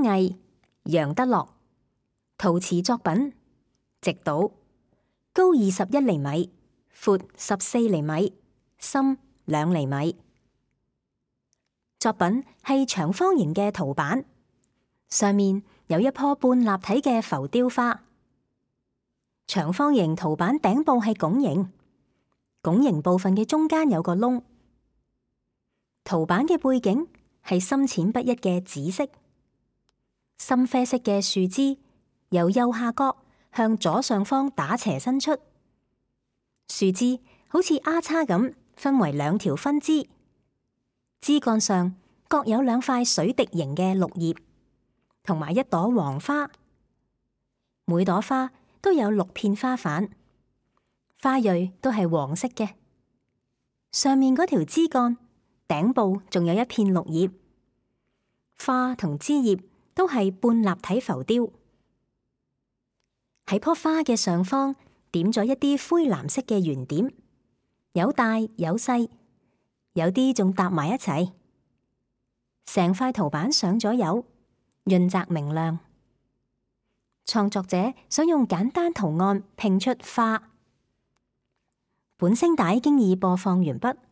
嘉毅、楊德樂，陶瓷作品，直島，高21厘米，闊14厘米，深2厘米。作品係長方形嘅陶板，上面有一棵半立體嘅浮雕花。長方形陶板頂部係拱形，拱形部分嘅中間有個窿。陶板嘅背景係深淺不一嘅紫色，深啡色嘅樹枝由右下角向左上方打斜伸出，樹枝好似丫叉咁分為2條分支，枝幹上各有2塊水滴形嘅綠葉，同埋1朵黃花，每朵花都有6片花瓣，花蕊都係黃色嘅。上面嗰條枝幹頂部仲有1片綠葉，花同枝葉都係半立體浮雕。喺棵花嘅上方點咗一啲灰藍色嘅圓點，有大有細，有啲仲搭埋一齊。成塊陶板上咗油，潤澤明亮。創作者想用簡單圖案拼出花。本聲帶經已播放完畢。